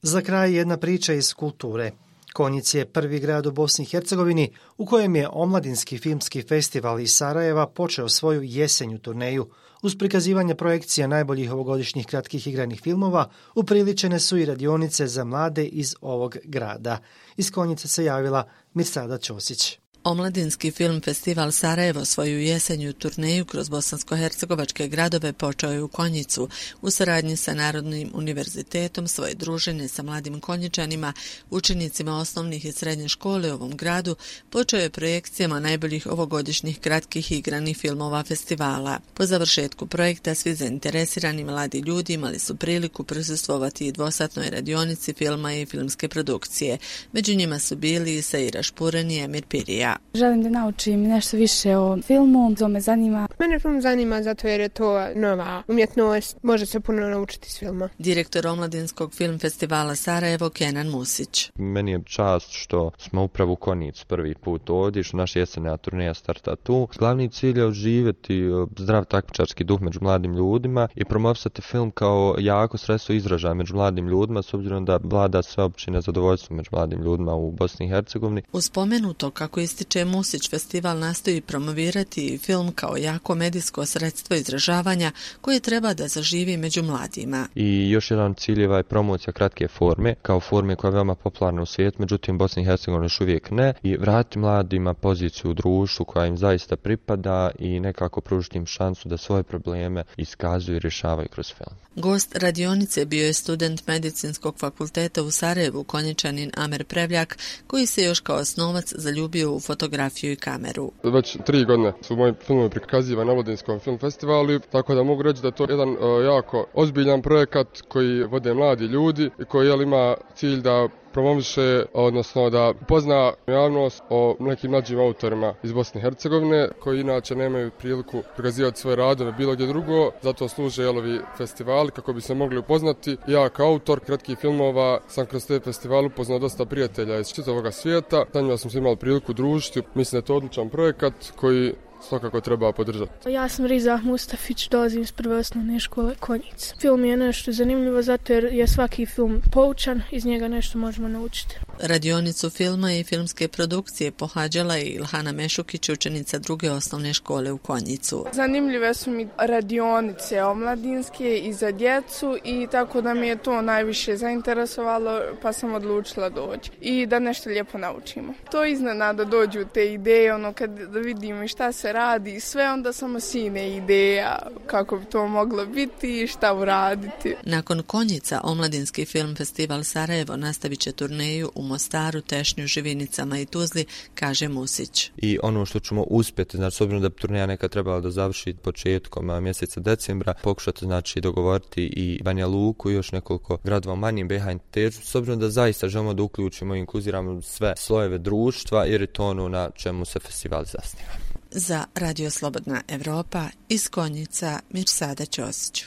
Za kraj jedna priča iz kulture. Konjic je prvi grad u Bosni i Hercegovini u kojem je Omladinski filmski festival iz Sarajeva počeo svoju jesenju turneju. Uz prikazivanje projekcija najboljih ovogodišnjih kratkih igranih filmova upriličene su i radionice za mlade iz ovog grada. Iz Konjica se javila Mirsada Ćosić. Omladinski film festival Sarajevo svoju jesenju turneju kroz bosansko-hercegovačke gradove počeo je u Konjicu. U saradnji sa Narodnim univerzitetom svoje druženje sa mladim Konjičanima, učenicima osnovnih i srednje škole u ovom gradu, počeo je projekcijama najboljih ovogodišnjih kratkih igranih filmova festivala. Po završetku projekta svi zainteresirani mladi ljudi imali su priliku prisustvovati i dvosatnoj radionici filma i filmske produkcije. Među njima su bili i Saira Špuren i Emir Pirija. Želim da naučim nešto više o filmu, to me zanima. Mene film zanima zato jer je to nova umjetnost, može se puno naučiti s filma. Direktor Omladinskog film festivala Sarajevo Kenan Musić. Meni je čast što smo upravo u Konjicu prvi put ovdje, što naša jesenja turneja starta tu. Glavni cilj je oživjeti zdrav takmičarski duh među mladim ljudima i promovisati film kao jako sredstvo izražaja među mladim ljudima, s obzirom da vlada sveopće nezadovoljstvo među mladim ljudima u Bosni i Hercegovini. Uz spomenuto, kako ističe Musić, festival nastoji promovirati film kao jako medijsko sredstvo izražavanja koje treba da zaživi među mladima. I još jedan cilj je promocija kratke forme, kao forme koja je veoma popularna u svijetu, međutim Bosni i Hercegovina još uvijek ne, i vratiti mladima poziciju u društvu koja im zaista pripada i nekako pružiti im šansu da svoje probleme iskazuju i rješavaju kroz film. Gost radionice bio je student Medicinskog fakulteta u Sarajevu, Konjičanin Amer Prevljak, koji se još kao osnovac zaljubio u fotografiju i kameru. Već 3 godine su moji filmovi prikazivani na Omladinskom film festivalu, tako da mogu reći da je to jedan jako ozbiljan projekat koji vode mladi ljudi i koji ima cilj da promoviše, odnosno da pozna javnost o nekim mlađim autorima iz Bosne i Hercegovine koji inače nemaju priliku prikazivati svoje radove bilo gdje drugo, zato služe ovi festivali kako bi se mogli upoznati. Ja kao autor kratkih filmova sam kroz te festivale upoznao dosta prijatelja iz čitavog svijeta, sa njima sam se imao priliku družiti. Mislim da je to odličan projekat koji svakako treba podržati. Ja sam Riza Mustafić, dolazim iz prve osnovne škole Konjic. Film je nešto zanimljivo zato jer je svaki film poučan, iz njega nešto možemo naučiti. Radionicu filma i filmske produkcije pohađala je Ilhana Mešukić, učenica druge osnovne škole u Konjicu. Zanimljive su mi radionice omladinske i za djecu i tako da mi je to najviše zainteresovalo pa sam odlučila doći i da nešto lijepo naučimo. To iznenada dođu te ideje, kad vidim šta se radi i sve, onda samo sine ideja kako bi to moglo biti i šta uraditi. Nakon Konjica, Omladinski film festival Sarajevo nastavit će turneju u Mostaru, Tešnju, Živinicama i Tuzli, kaže Musić. I ono što ćemo uspjeti, znači s obzirom da bi turneja nekad trebala da završi početkom mjeseca decembra, pokušati znači dogovoriti i Banja Luku i još nekoliko gradova manjim BiH entitetu, s obzirom da zaista želimo da uključimo i inkluziramo sve slojeve društva jer je to ono na čemu se festival zasniva. Za Radio Slobodna Evropa iz Konjica Mirsada Ćosić.